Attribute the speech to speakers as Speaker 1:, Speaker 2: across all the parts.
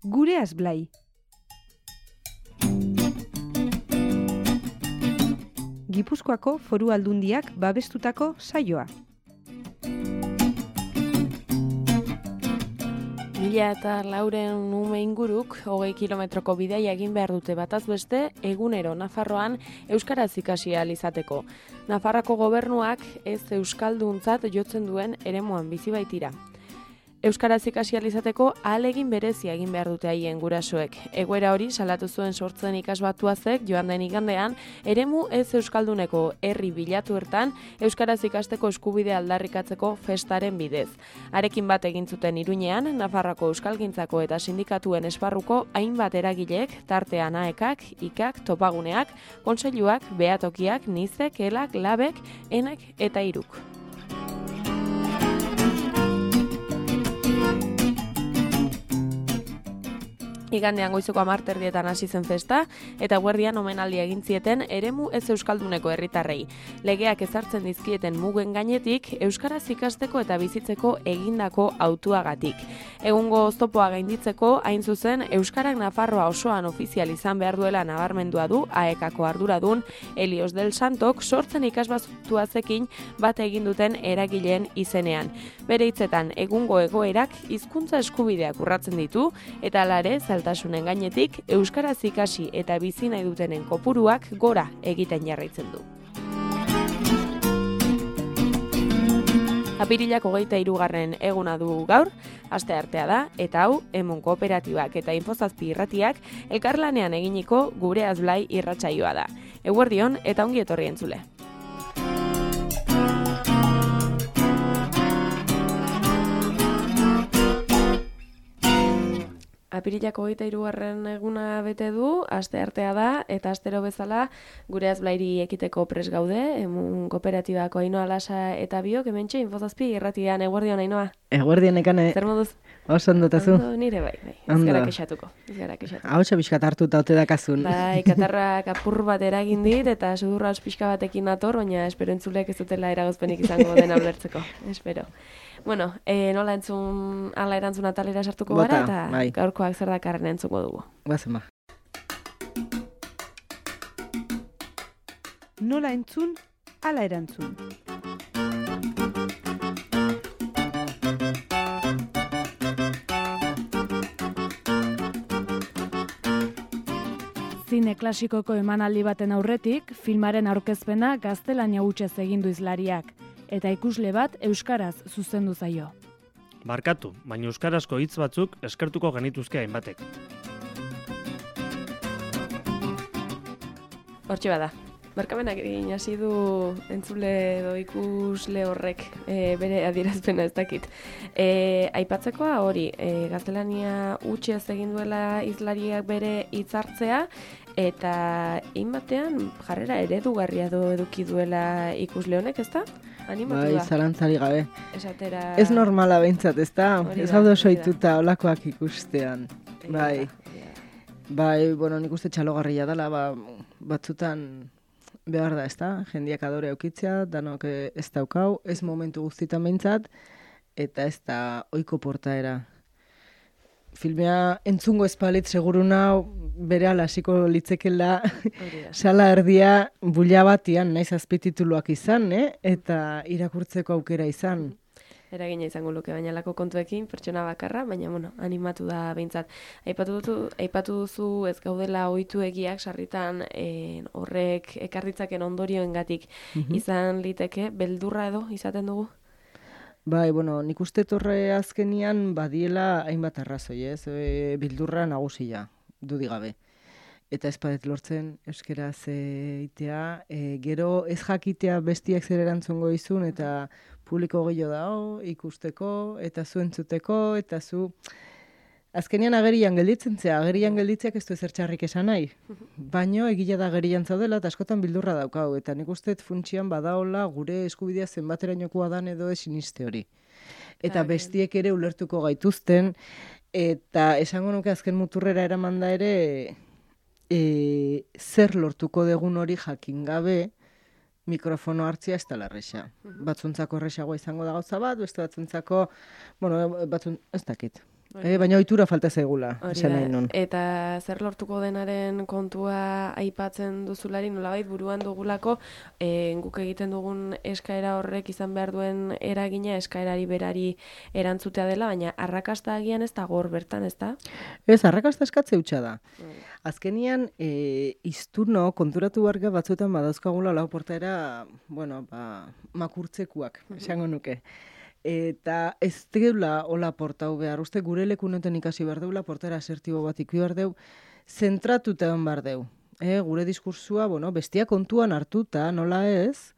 Speaker 1: Gureaz Blai. Gipuzkoako Foru Aldundiak babestutako saioa.
Speaker 2: 1400 ume inguruk 20 kilometroko bidaia egin behar dute bataz beste egunero Nafarroan euskaraz ikasi ahal izateko. Nafarroako gobernuak ez euskalduntzat jotzen duen eremuan bizi baitira. Euskaraz ikasi ahal izateko ahalegin berezia egin behar dute haien gurasoek. Egoera hori salatu zuen Sortzen ikasbatuazek joan den igandean eremu ez euskalduneko herri bilatu ertan euskaraz ikasteko eskubidea aldarrikatzeko festaren bidez. Arekin bat egin zuten Iruñean, Nafarroako euskalgintzako eta sindikatuen esparruko hainbat eragileek, tartean AEKak, IKak, topaguneak, kontseiluak, behatokiak, nizek, elak, labek, enek eta iruk. Igandean goizeko 10:00 hasi zen festa, eta guerdian omenaldia egin zieten eremu ez euskalduneko herritarrei. Legeak ezartzen dizkieten mugen gainetik, euskaraz ikasteko eta bizitzeko egindako hautuagatik. Egungo oztopoa gainditzeko, hain zuzen, euskarak Nafarroa osoan ofizial izan behar duela nabarmendua du AEKako arduradun Helios del Santok Sortzen ikasbatuazekin bat egin duten eragileen izenean. Bere hitzetan, egungo egoerak hizkuntza eskubideak urratzen ditu, eta hala ere, zaltasunen gainetik, euskaraz ikasi eta bizi nahi dutenen kopuruak gora egiten jarraitzen du. Apirilak 23. eguna du gaur, asteartea da, eta hau, Emun Kooperatibak eta Infozazpi irratiak elkarlanean eginiko Gureaz Blai irratsaioa da. Eguerdion eta ongi etorri entzule. Apirilak 23. eguna bete du, asteartea da, eta astero bezala Gureaz Blairi ekiteko prest gaude, Emun Kooperatibako Ainhoa Lasa eta biok, hementxe Infozazpi irratian. Eguerdion, Ainhoa.
Speaker 3: Eguerdion, Ekane.
Speaker 2: Zer moduz?
Speaker 3: Oso ondotazu.
Speaker 2: Ondo, nire bai. Ez gara kexatuko.
Speaker 3: Hautsa pixkat hartuta ote dakazun.
Speaker 2: Bai, katarrak apur bat eragin dit, eta sudurra pixka batekin nator, baina espero entzulek ez dutela eragozpenik izango den ulertzeko. Espero. Bueno, nola erantzun atalera sartuko gara, eta bai. Gaurkoak zer dakarren entzuko dugu.
Speaker 3: Bazen ba.
Speaker 1: Nola entzun, ala erantzun.
Speaker 4: Zine klasikoko emanaldi baten aurretik, filmaren aurkezpena gaztelania hutsez egin du hizlariak, eta ikusle bat euskaraz zuzendu zaio.
Speaker 5: Barkatu, baina euskarazko hitz batzuk eskertuko genituzke hainbatek.
Speaker 2: Hortxe bada. Barkamenak egin hasi du entzule edo ikusle horrek bere adierazpena ez dakit. Aipatzekoa hori, gaztelania hutsez egin duela hizlariak bere hitzartzea, eta hainbatean jarrera eredugarria eduki duela ikusle honek, ezta? Animatu da.
Speaker 3: Bai, zalantzari gabe.
Speaker 2: Esatera...
Speaker 3: Ez normala behintzat, ezta? Ez gaude soituta olakoak ikustean. Bai. Bai, bueno, nik uste txalogarria dela, batzutan behar da, ezta? Jendiak adore aukitzea, danok ez daukau, ez momentu guztitan behintzat, eta ez da ohiko portaera. Filmea entzungo espalit seguru nau bere hasiko litzekela sala erdia bulla batian, naiz azpitituluak izan, eta irakurtzeko aukera izan.
Speaker 2: Eragina izango luke bainalako kontuekin, pertsona bakarra, baina animatu da behintzat. Aipatu duzu ez gaudela ohitu egiak sarritan horrek ekarritzaken ondorioengatik izan liteke, beldurra edo izaten dugu?
Speaker 3: Bai, bueno, nik uste torre azkenian badiela hainbat arrazoi, ez? Bildurra nagusia, dudigabe. Eta ez badet lortzen euskeraz itea, gero ez jakitea bestiak zer erantzungo izun, eta publiko gehiago da, ikusteko, eta zu entzuteko, eta zu... Azkenean agerian gelditzen zea, agerian gelditzeak ez du ezer txarrik esan nahi. Baino egila da agerian zaudela eta askotan bildurra daukau. Eta nik uste funtsian badaola gure eskubidea zenbaterainokoa dan edo siniste hori. Eta bestiek ere ulertuko gaituzten, eta esango nuke azken muturrera eraman da ere zer lortuko degun hori jakin gabe mikrofono hartzia ez dela erresa. Batzuntzako erresagoa izango da gauza bat, beste batzuntzako, ez dakit. Baina ohitura falta zaigula,
Speaker 2: Hori
Speaker 3: esan
Speaker 2: da.
Speaker 3: nahi nun.
Speaker 2: Eta zer lortuko denaren kontua aipatzen duzulari, nolabait buruan dugulako, guk egiten dugun eskaera horrek izan behar duen eragina eskaerari berari erantzutea dela, baina arrakasta agian ez da gor bertan, ez da?
Speaker 3: Ez, arrakasta eskatze hutsa da. Azkenian, izturno konturatu barga batzuetan badauzkagula lau portaera, makurtzekuak, esango nuke. Eta ez deula hola portau behar, uste gure lekunoten ikasi behar deula, portaera asertibo bat ikusi behar deu, zentratuta egon behar deu. Gure diskursua, bestia kontuan hartuta, nola ez,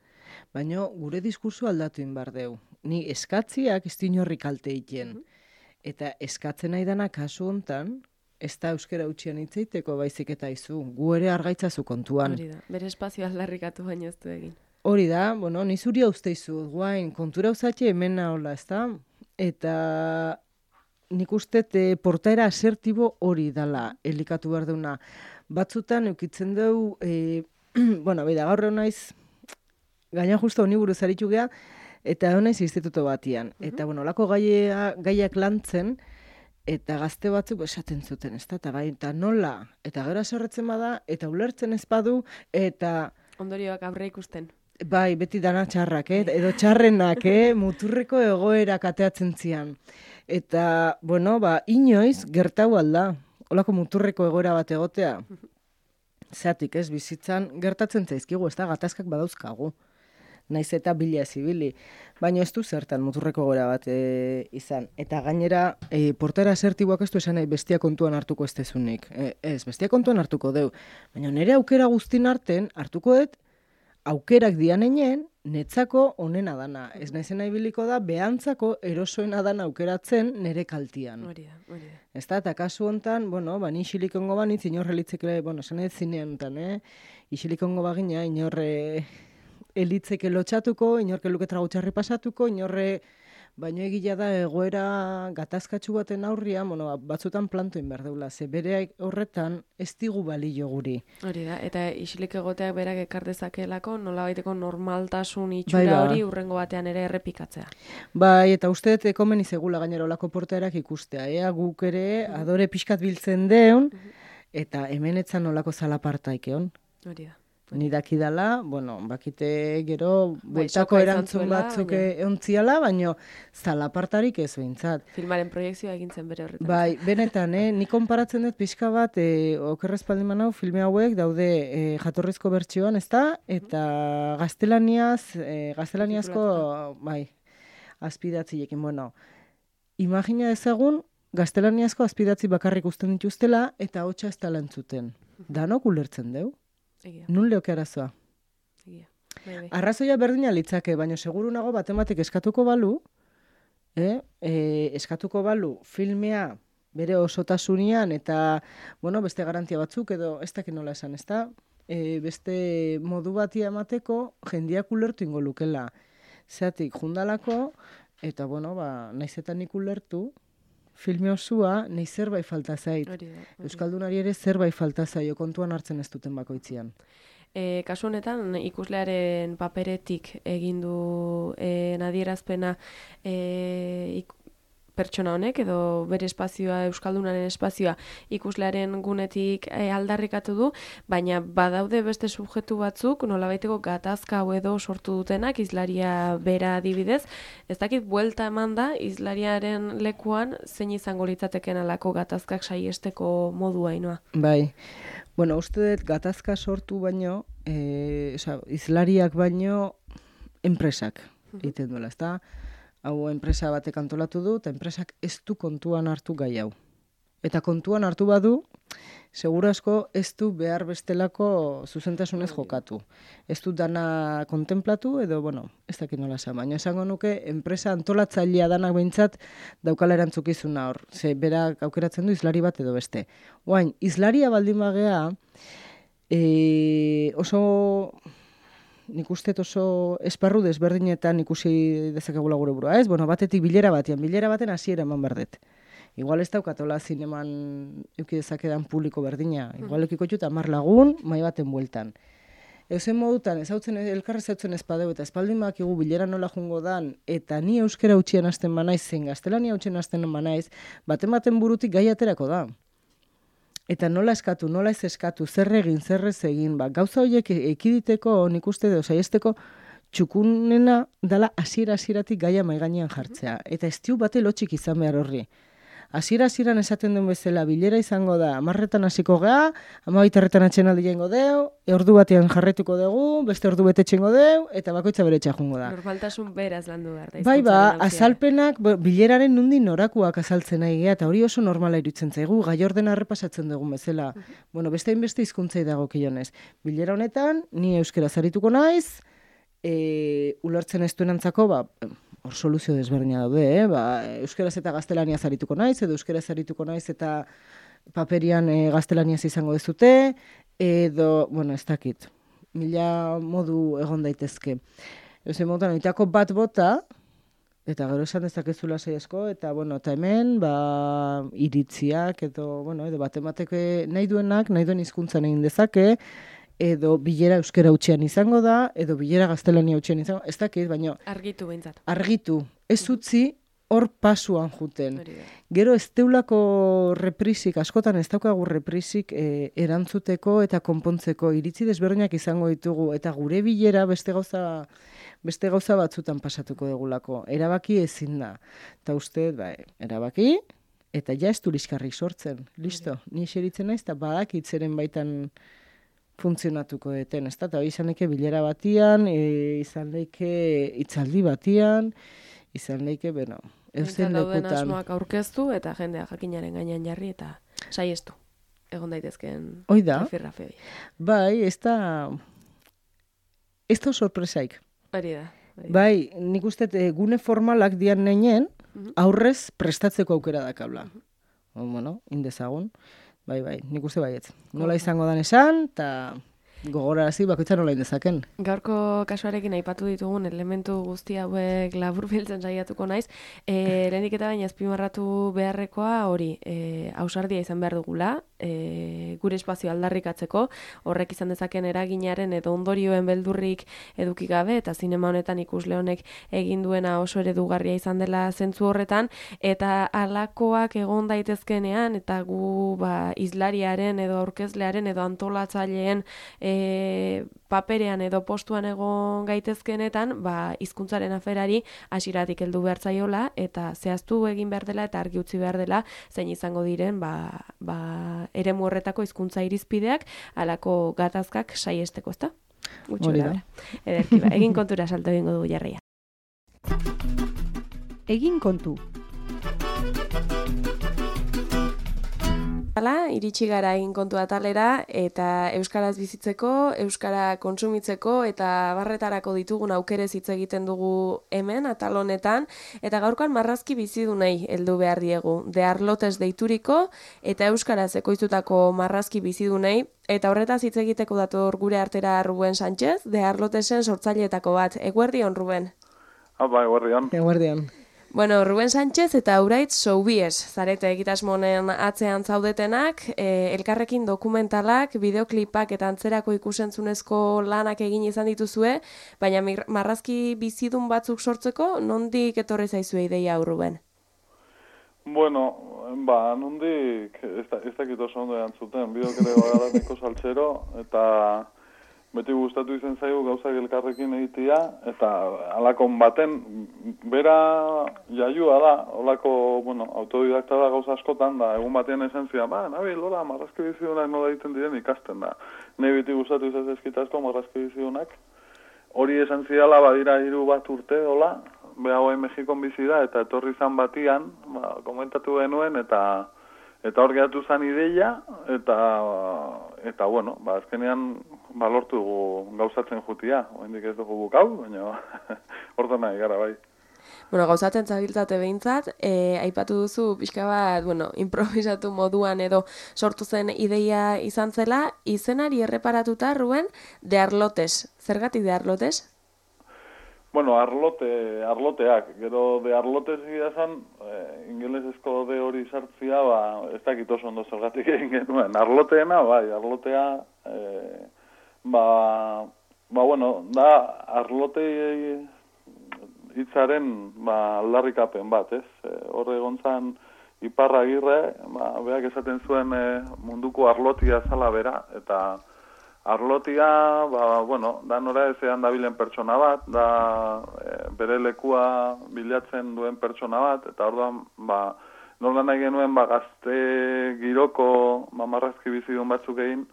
Speaker 3: baina gure diskursua aldatu behar deu. Ni eskatziak ez dinorri kalte egiten. Eta eskatzen nahi dana kasu hontan, ez da euskara utxian hitzeiteko baizik eta izu, gu ere argaitzazu kontuan.
Speaker 2: Hori da, bere espazio aldarrikatu baino ez du egin.
Speaker 3: Hori da, ni zuri hauzteizu, guain, kontura uzatxe hemen nahola, ez da? Eta nik uste portaera asertibo hori dala elikatu behar duna. Batzutan eukitzen dugu, gaur egon naiz, gaina justo honi buruz aritu geha, eta egon naiz instituto batian. Eta, lako gaiak lantzen, eta gazte batzuk esaten zuten, ez da? Eta nola, eta gero aserretzen bada, eta ulertzen ez badu, eta...
Speaker 2: Ondorioak aurre ikusten.
Speaker 3: Bai, beti dana txarrak, edo txarrenak, muturreko egoerak ateatzen zian. Eta, inoiz gertau alda, holako muturreko egoera bat egotea. Zatik, bizitzan gertatzen zaizkigu, ez da, gatazkak badauzkagu. Naiz eta bila ezibili. Baina ez du zertan muturreko egoera bat izan. Eta gainera, portaera asertiboak ez du esan nahi bestia kontuan hartuko ez dezunik. Ez, bestia kontuan hartuko deu. Baina nire aukera guztin arten hartukoet, aukerak dianeinen, netzako onena dana. Ez naizen nahi biliko da, behantzako erosoena dana aukeratzen nire kaltian.
Speaker 2: Hori da.
Speaker 3: Ez da, eta kasu hontan, ni isilikongo banitz, inorre litzekele, esan ez zinean hontan, isilikongo bagina, inorre elitzeke lotxatuko, inorke luke tragutxarri pasatuko, inorre, baino egila da egoera gatazkatsu baten aurria, batzutan plantoin behar deula, ze bere horretan ez digu balio guri.
Speaker 2: Hori da, eta isilik egoteak berak ekar dezakeelako, nolabaiteko normaltasun itxura hori urrengo batean ere errepikatzea.
Speaker 3: Bai, eta uste dut komeni zegula gainera olako portaerak ikustea, guk ere adore pixkat biltzen deun, eta hemen etzan olako zalapartaik egon.
Speaker 2: Hori da.
Speaker 3: Ni dakidala, bakite gero bueltako erantzun batzuk eontziala, baina zalapartarik ez behintzat.
Speaker 2: Filmaren proiektzioa egintzen bere horretan.
Speaker 3: Bai, benetan, ni konparatzen dut pixka bat, okerrezpaldin manau, filme hauek daude jatorrizko bertsioan, ez da? Eta gaztelaniazko, azpidatzilekin, imagina ezagun, gaztelaniazko azpidatzi bakarrik usten dituztela, eta hotxa ez tala entzuten. Danok ulertzen deu? Nun leoke arazoa? Arrazoia berdina litzake, baina seguru nago batematik eskatuko balu, filmea bere osotasunean eta, beste garantia batzuk edo ez dakit nola esan, ez da? Beste modu batia emateko jendiak ulertu ingo lukela. Zeatik, jundalako, eta, naizetan nik ulertu, filme osua, nahi zerbait falta zait. Euskaldunari ere zerbait falta zaio, kontuan hartzen ez duten bakoitzian.
Speaker 2: Kasu honetan, ikuslearen paperetik egin du adierazpena pertsona honek, edo bere espazioa, euskaldunaren espazioa ikuslearen gunetik aldarrikatu du, baina badaude beste subjektu batzuk, nolabaiteko gatazka hau edo sortu dutenak, hizlaria bera adibidez, ez dakit buelta eman da, hizlariaren lekuan zein izango litzateken alako gatazkak saiesteko modua inoa.
Speaker 3: Bai, uste dut gatazka sortu baino, hizlariak baino enpresak egiten duela, ez da? Hau enpresa batek antolatu du, eta enpresak ez du kontuan hartu gai hau. Eta kontuan hartu badu, seguru asko ez du behar bestelako zuzentasunez jokatu. Ez du dana kontemplatu, edo, ez dakit nola esan, baina esango nuke, enpresa antolatzailea danak behintzat daukala erantzukizuna hor. Ze berak aukeratzen du hizlari bat edo beste. Oain, hizlaria baldin bagea, nik uste oso esparru desberdinetan ikusi dezakegula gure burua, ez? Batetik bilera baten hasiera eman berdet. Igual ez daukatola zineman euki dezakedan publiko berdina. Igual eukiko jut 10 lagun, mai baten bueltan. Eusen modutan, elkarra ezautzen ezpadeu, eta espaldin bakigu bilera nola jungo dan, eta ni euskera utxian hasten banaiz, zein gaztelania utxien hasten banaiz, baten burutik gai aterako da. Eta nola eskatu, nola ez eskatu, zer egin, zer ez egin, gauza horiek ekiditeko, nik uste dut, saiesteko, txukunena dala hasieratik gaia maigainean jartzea. Eta ez tiu bate lotxik izan behar horri. Hasieran esaten duen bezala, bilera izango da, 10:00 hasiko gea, 12:00 atxenaldi jengo deu, ordu batean jarretuko dugu, beste ordu bete txengo deu, eta bakoitza bere txajungo da.
Speaker 2: Normaltasun beraz landu behar da.
Speaker 3: Bai, azalpenak, bileraren nundin norakuak azaltzen nahi eta hori oso normala iruditzen zaigu, gai ordena errepasatzen dugun bezala. Bueno, beste hainbeste hizkuntzai dago kionez. Bilera honetan, ni euskera zarituko naiz, ulertzen ez duenantzako, hor soluzio desberdina daude, euskeraz eta gaztelaniaz arituko naiz, edo euskeraz arituko naiz eta paperian gaztelaniaz izango dezute, edo, bueno, ez dakit, mila modu egon daitezke. Eusen modutan, oitako bat bota, eta gero esan dezakezula saiasko, eta, bueno, eta hemen, iritziak, edo batemateke nahi duen hizkuntzan egin dezake, edo bilera euskera utxean izango da, edo bilera gaztelania utxean izango, ez dakit, baina...
Speaker 2: Argitu behintzat.
Speaker 3: Argitu. Ez utzi hor pasuan juten. Gero ez teulako reprisik, askotan ez daukagu reprisik erantzuteko eta konpontzeko iritzi desberdinak izango ditugu, eta gure bilera beste gauza batzutan pasatuko dugulako. Erabaki ezin da. Eta uste, erabaki, eta ja ez du liskarrik sortzen. Listo, ni xeritzen naiz, eta badakitzeren baitan funtzionatuko deten, ez da? Eta izan leke bilera batian, izan leke hitzaldi batian, izan leke, eusen lekutan.
Speaker 2: Dauden asmoak aurkeztu eta jendea jakinaren gainean jarri eta saiestu. Egon daitezkeen rafirrafe hori.
Speaker 3: Bai, ez da sorpresaik.
Speaker 2: Hori da.
Speaker 3: Bai, nik uste gune formalak dian neinen, aurrez prestatzeko aukera dakabla. Bueno, indezagun. Bai, nik uste baietz. Nola izango dan esan, eta gogorarazi bakoitza nola indezaken.
Speaker 2: Gaurko kasuarekin aipatu ditugun elementu guzti hauek laburbiltzen saiatuko naiz. Lehenik eta baina azpimarratu beharrekoa hori, ausardia izan behar dugula, gure espazio aldarrikatzeko, horrek izan dezaken eraginaren edo ondorioen beldurrik eduki gabe, eta zinema honetan ikusle honek egin duena oso eredugarria izan dela zentzu horretan, eta halakoak egon daitezkenean, eta gu izlariaren edo aurkezlearen edo antolatzaileen paperean edo postuan egon gaitezkenetan, hizkuntzaren aferari hasieratik heldu behar zaiola, eta zehaztu egin behar dela eta argi utzi behar dela zein izango diren eremu horretako hizkuntza irizpideak halako gatazkak saiesteko, ezta?
Speaker 3: Hori da.
Speaker 2: Ederki, egin kontura salto egingo dugu jarria.
Speaker 1: Egin kontu.
Speaker 2: Iritsi gara egin kontu atalera eta euskaraz bizitzeko, euskara kontsumitzeko eta barretarako ditugun aukerez hitz egiten dugu hemen atal honetan, eta gaurkoan marrazki bizidunei heldu behar diegu. De Arlotes deituriko eta euskaraz ekoiztutako marrazki bizidunei, eta horretaz hitz egiteko dator gure artera Ruben Sánchez, De Arlotesen sortzaileetako bat. Eguerdion, Ruben?
Speaker 6: Eguerdion.
Speaker 3: Eguerdion.
Speaker 2: Bueno, Ruben Sánchez eta Uraitz Soubies zarete egitasmonen atzean zaudetenak, elkarrekin dokumentalak, bideoklipak eta antzerako ikusentzunezko lanak egin izan dituzue, baina marrazki bizidun batzuk sortzeko, nondik etorri zaizue ideia hau, Ruben?
Speaker 6: Bueno, nondik ez dakit oso ondo erantzuten, bideok ere bagaraniko saltzero, eta beti gustatu izan zaigu gauzak elkarrekin egitea, eta halakon baten, bera jaiua da, holako, autodidakta da gauza askotan, da egun batean esan zidan, nabil, hola, marrazki bizidunak nola egiten diren ikasten da. Nei beti gustatu izan zezkitazko marrazki bizidunak. Hori esan zidala, badira 3 bat urte, hola, beha hoa Mexikon bizi da, eta etorri zan batian, komentatu genuen, eta hor gehatu zan ideia, eta bueno, azkenean lortu dugu gauzatzen jutia. Oendik ez dugu bukau, baina horta nahi gara bai.
Speaker 2: Bueno, gauzatzen zabiltzate behintzat, aipatu duzu pixka bat, improvisatu moduan edo sortu zen ideia izan zela, izenari erreparatuta, Ruben, De Arlotes. Zergatik De Arlotes?
Speaker 6: Bueno, arloteak. Gero De Arlotes gira zan, ingelesezko de hori sartzia, ez dakit oso ondo zergatik egin genuen. Arloteena, arlotea, bueno, da arlote hitzaren aldarrikapen bat, ez? Horre egon zan Iparragirre, beak esaten zuen munduko arlotia zala bera, eta arlotia, bueno, da nora ezean dabilen pertsona bat, da bere lekua bilatzen duen pertsona bat, eta orduan, nola nahi genuen, gazte giroko, marrazki bizidun batzuk egin,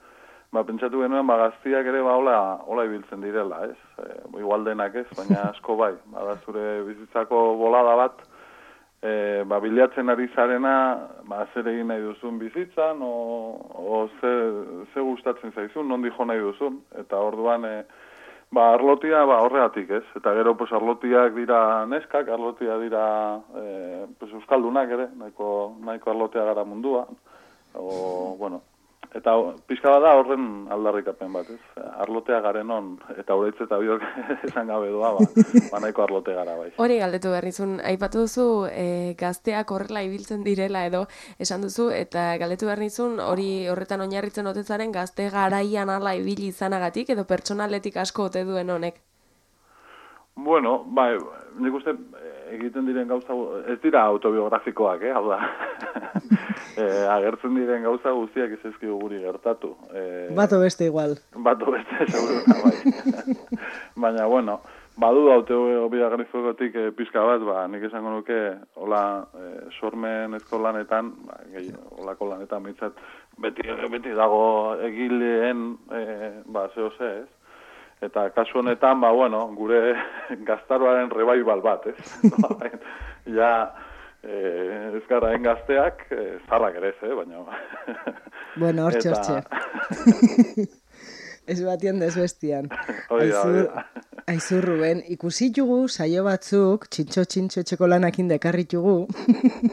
Speaker 6: pentsatu genuen, gaztiak ere, hola ibiltzen direla, ez? Igual denak ez, baina asko bai, da zure bizitzako bolada bat, bilatzen ari zarena, zer egin nahi duzun bizitzan, o ze gustatzen zaizun, nondi jo nahi duzun, eta orduan, arlotia, horregatik, ez? Eta gero, arlotiak dira neskak, arlotia dira euskaldunak ere, nahiko arlotia gara mundua, bueno, eta pixka bada horren aldarrikapen bat, ez? Arlotea garen on, eta horeitz eta biok esan gabe doa, nahiko arlote gara bai.
Speaker 2: Hori galdetu berrizun, aipatu duzu gazteak horrela ibiltzen direla edo esan duzu, eta galdetu berrizun hori horretan oinarritzen otetzaren gazte garaian ala ibili izanagatik edo pertsonaletik asko ote duen honek?
Speaker 6: Bueno, nik uste egiten diren gauza, ez dira autobiografikoak, hau da. Agertzen diren gauza guztiak ez ezkigu guri gertatu.
Speaker 3: Bato beste igual.
Speaker 6: Bato beste, seguruna, bai. Baina, bueno, badu autobiografikotik pizka bat, nik esango nuke, hola, sormen eskolanetan, holako lanetan mitzat, beti dago egileen, zeo ze, ez? Eta kasu honetan, bueno, gure gaztaroaren revival bat, ez? Ja, ez gara gazteak, zarrak ere ez, baina...
Speaker 3: Bueno, hortxe. Ez batian da ez bestian. Aizu, Ruben, ikusi jugu saio batzuk, txintxo txekolanak indekarritugu.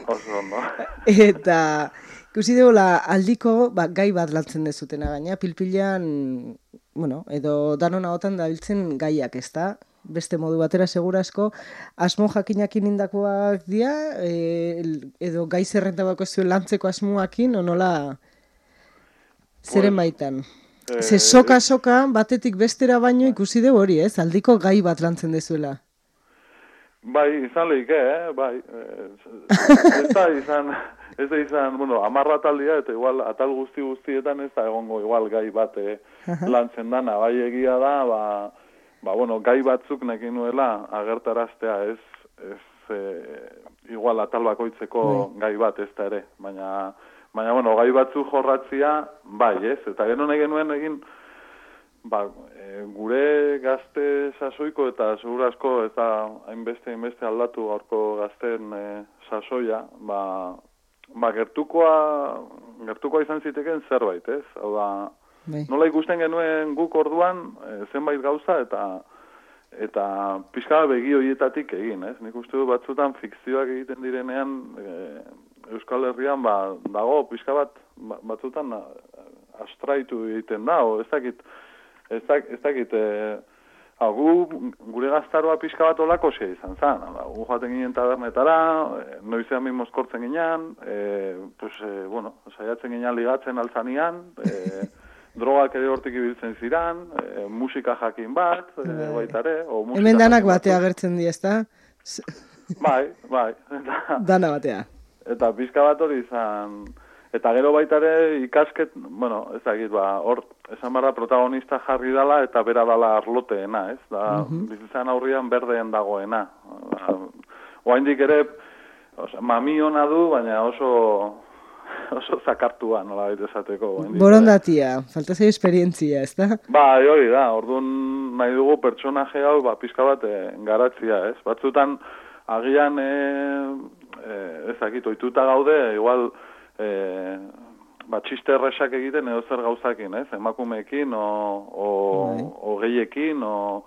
Speaker 6: Oso, no?
Speaker 3: Eta ikusi dugula aldiko gai bat lantzen dezutena gaina, pilpilean... Bueno, edo danon ahotan dabiltzen gaiak, ez da? Beste modu batera segurazko, asmo jakinakin indakoak dira, edo gai zerrenta bako zuen lantzeko asmoakin, onola zeren baitan. Ze soka batetik bestera baino ikusi dugu hori, ez? Aldiko gai bat lantzen dezuela.
Speaker 6: Bai, izan lehike, bai. Ez da izan, bueno, 10 ataldia, eta igual atal guztietan ez da egongo igual gai bat lantzen dana. Bai egia da, bueno, gai batzuk nekin nuela agertaraztea ez igual atal bakoitzeko gai bat ez da ere. Baina, bueno, gai batzuk jorratzia, bai ez, eta gero nahi genuen egin, gure gazte sasoiko eta segurazko ez da hainbeste aldatu gaurko gazten sasoia, gertukoa izan ziteken zerbait, ez? Hau da, nola ikusten genuen guk orduan zenbait gauza eta pixka begi horietatik egin, ez? Nik uste du batzutan fikzioak egiten direnean Euskal Herrian dago pixka batzutan astraitu egiten da, ez dakit gure gaztaroa pixka bat olakosia izan zen. Gu joaten ginen tabernetara, noizean min mozkortzen ginen, bueno, saiatzen ginen ligatzen altzanian, drogak ere hortik ibiltzen ziran, musika jakin bat, baitare.
Speaker 3: Hemen danak batea agertzen di, ezta?
Speaker 6: Bai.
Speaker 3: Dana batea.
Speaker 6: Eta pixka bat hori izan... Eta gero baitare ikasket, bueno, ezagit, hor, esan barra protagonista jarri dala eta bera dala arloteena, ez? Bizitzan aurrian berdeen dagoena. Oaindik ere, mami hona du, baina oso zakartua, nola baita esateko.
Speaker 3: Borondatia, falta zei esperientzia, ez da?
Speaker 6: Hori da, orduan nahi dugu pertsonaje hau, pizka bat garatzia, ez? Batzutan, agian, ezakit, oituta gaude, igual, txiste erresak egiten edo zer gauzakin, ez? Emakumeekin, o gehiekin, o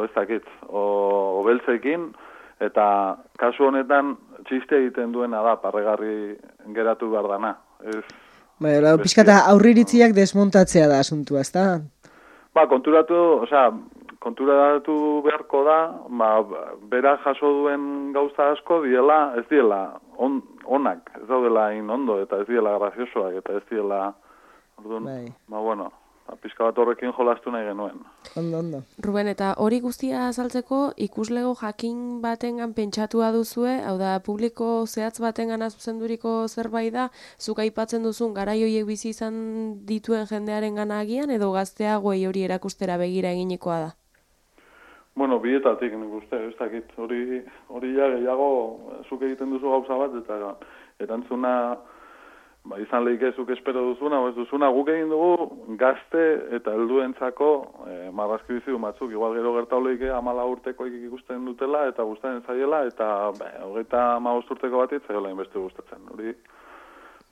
Speaker 6: ezakit, o beltzekin, eta kasu honetan txiste egiten duena da, parregarri geratu behar dana.
Speaker 3: Pixkata aurriritziak desmontatzea da asuntua, ez da?
Speaker 6: Konturatu beharko da, bera jaso duen gauza asko ez diela onak, ez daudela ondo, eta ez diela graziosoak, eta ez diela, bueno, pixka bat horrekin jolastu nahi genuen.
Speaker 3: Ondo.
Speaker 2: Ruben, eta hori guztia azaltzeko ikuslego jakin batengan pentsatua duzue, hau da, publiko zehatz batengan zuzenduriko zerbait da, zuk aipatzen duzun garai horiek bizi izan dituen jendearen gana agian, edo gazteagoei hori erakustera begira eginikoa da?
Speaker 6: Bueno, bietatik nik uste, ez dakit, hori ja gehiago zuk egiten duzu gauza bat, eta erantzuna izan lehike zuk espero duzuna, ez duzuna, guk egin dugu gazte eta helduentzako marrazki bizidun batzuk, igual gero gertau lehike 14 urtekoik ikusten dutela, eta gustatzen zaiela, eta 35 urteko bat itzaiola inbeste gustatzen, hori,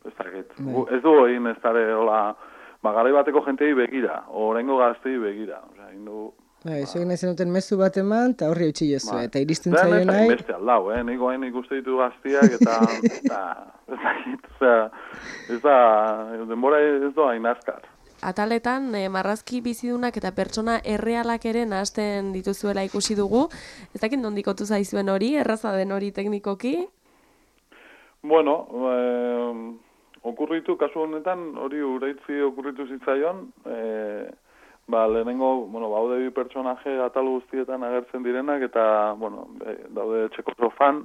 Speaker 6: ez dakit. Ez du egin ez dara, garai bateko jentei begira, orengo gaztei begira, egin dugu.
Speaker 3: Eso egin ezen duten mezu bat eman, eta horri eutxi jozu, eta iristen zaio nahi.
Speaker 6: Beste aldau, niko hain ikuste ditu gaztiak, eta ez da, denbora ez doa hain azkar.
Speaker 2: Ataletan, marrazki bizidunak eta pertsona errealak ere nahasten dituzuela ikusi dugu. Ez dakit nondikotu zaizuen hori, erraza den hori teknikoki?
Speaker 6: Bueno, okurritu, kasu honetan, hori uraitzi okurritu zitzaion, lehenengo, haude bi pertsonaje atal guztietan agertzen direnak, eta, daude txeko sofan,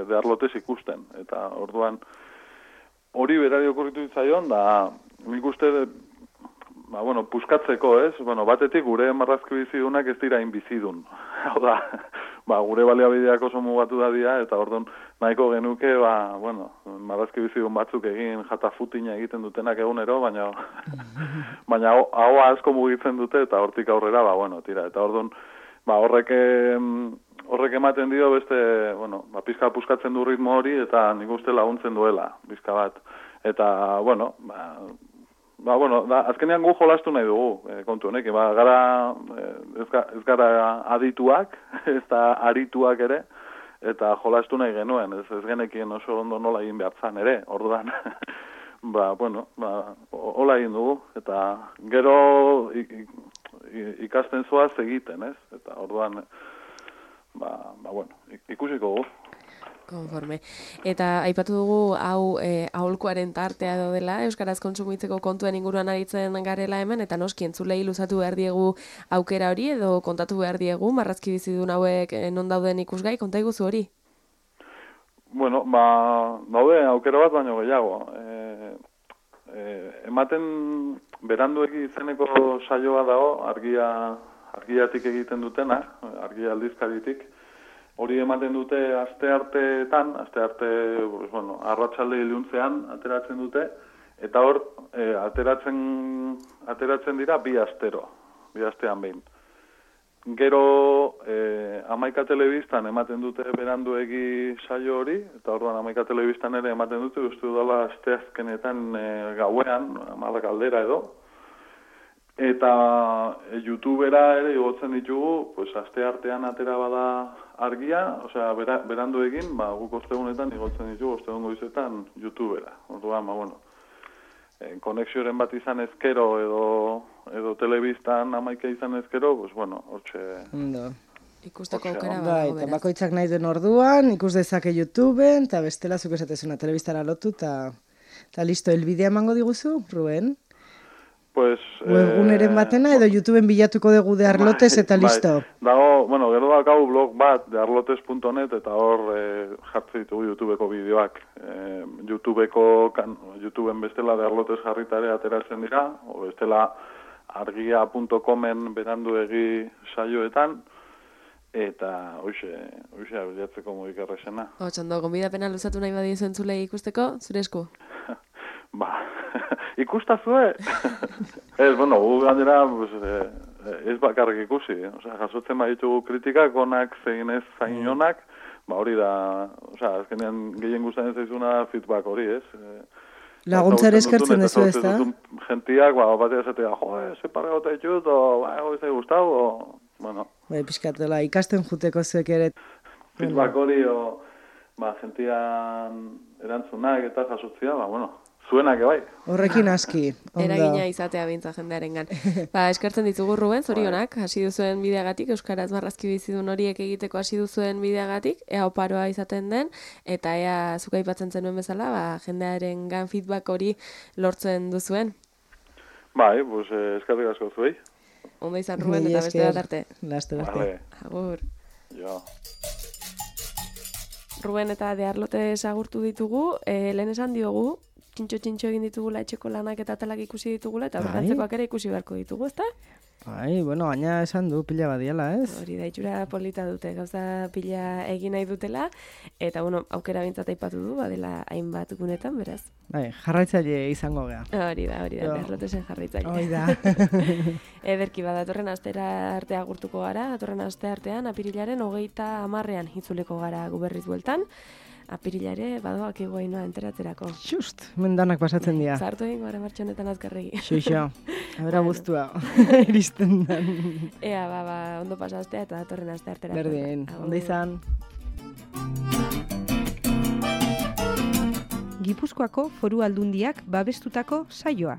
Speaker 6: de Arlotes ikusten. Eta, orduan, hori berari okurritu zitzaion, da, nik uste, puskatzeko, ez? Batetik gure marrazki bizidunak ez dira inbizidun. Hau da, gure baliabideak oso mugatu da dira, eta orduan nahiko genuke, marrazki bizidun batzuk egin jatafutina egiten dutenak egunero, baina hau asko mugitzen dute, eta hortik aurrera, tira. Eta orduan, horrek ematen dio beste, pizka puskatzen du ritmo hori, eta nik uste laguntzen duela, pizka bat. Eta, azkenean gu jolastu nahi dugu, kontu honek, ez gara adituak, ez da arituak ere, eta jolastu nahi genuen, ez genekien oso ondo nola egin behar zan ere, orduan, hola egin dugu, eta gero ikasten zoaz egiten, ez, eta orduan, ikusiko dugu.
Speaker 2: Konforme. Eta aipatu dugu hau aholkuaren tartea dela, euskaraz kontsumitzeko kontuen inguruan aritzen garela hemen, eta noski entzulei luzatu behar diegu aukera hori, edo kontatu behar diegu, marrazki bizidun hauek non dauden ikusgai, konta iguzu hori?
Speaker 6: Daude aukera bat baino gehiago. Ematen beranduegi izeneko saioa dago, argiatik egiten dutena, argia aldizkaritik. Hori ematen dute astearteetan, arratsalde iluntzean ateratzen dute, eta hor ateratzen dira bi astean behin. Gero 11 telebistan ematen dute beranduegi saio hori, eta orduan 11 telebistan ere ematen dute, uste dudala asteazkenetan gauean, 10 aldera edo. Eta YouTubera ere igotzen ditugu, aste artean atera bada argia, berandu egin, guk ostegunetan igotzen ditugu, ostegun goizetan YouTubera. Orduan, konexioren bat izan ezkero edo telebistan 11 izan ezkero, hortxe...
Speaker 2: Ikusteko aukera badago,
Speaker 3: beraz. Eta bakoitzak nahi den orduan, ikus dezake YouTubeen, eta bestela zuk esatezuna telebistara lotu, eta listo, elbidea emango diguzu, Ruben? Webguneren batena edo YouTubeen bilatuko dugu de Arlotes eta listo.
Speaker 6: Dago, gero dakau blog bat de arlotes.net eta hor jartzen ditugu YouTubeko bideoak. YouTubeen bestela de Arlotes jarritare ateratzen dira, o bestela argia.comen beranduegi saioetan, eta hoxe abiatzeko modik errexena.
Speaker 2: Otxondo, gonbidapena luzatu nahi badiozu entzulei ikusteko, zure esku?
Speaker 6: Ikustazue? Ez, gu gainera ez bakarrik ikusi. Jasotzen baditugu kritikak, onak zein ez zain onak, hori da, azkenean gehien gustatzen zaizuna feedback hori, ez?
Speaker 3: Laguntzare eskertzen dezu ez da?
Speaker 6: Gentiak, batea esatea, ze parregota ditut, ez da gustau,
Speaker 3: Piskatela, ikasten juteko zuek ere.
Speaker 6: Feedback hori, gentian erantzunak eta jasotzia, zuenak bai.
Speaker 3: Horrekin aski.
Speaker 2: Eragina izatea bintza jendearengan. Eskertzen ditugu Ruben, zorionak, hasi duzuen bideagatik, euskaraz marrazki bizidun horiek egiteko hasi duzuen bideagatik, ea oparoa izaten den, eta ea zuka aipatzen zenuen bezala, jendearengan feedback hori lortzen duzuen.
Speaker 6: Bai, pues eskerrik asko zuei.
Speaker 2: Ondo izan Ruben eta beste bat arte.
Speaker 3: Laster arte.
Speaker 6: Vale,
Speaker 2: Agur.
Speaker 6: jo.
Speaker 2: Ruben eta Dearlote agurtu ditugu, lehen esan diogu, txintxo egin ditugula etxeko lanak eta talak ikusi ditugula, eta aurrantzekoak ere ikusi beharko ditugu, ezta?
Speaker 3: Bai, bueno, gaina esan du pila badiala, ez?
Speaker 2: Hori da, itxura polita dute, gauza pila egin nahi dutela, eta bueno, aukera bintzat aipatu du, badela hainbat gunetan, beraz.
Speaker 3: Bai, jarraitzaile izango gea.
Speaker 2: Hori da, Dearlotesen jarraitzaile.
Speaker 3: Hori da.
Speaker 2: Ederki bada, datorren astera arte agurtuko gara, datorren aste artean, apirilaren 30 itzuliko gara guberriz bueltan. Apirila ere, badoak egoainoa enteratzerako.
Speaker 3: Just, mendanak pasatzen dira.
Speaker 2: Zartu egin gara martxonetan azkarregi.
Speaker 3: Xoixo, abera guztua, iristen dan.
Speaker 2: Ea, ondo pasaztea eta datorren aste artera.
Speaker 3: Berdin, ondo izan.
Speaker 1: Gipuzkoako Foru Aldundiak babestutako saioa.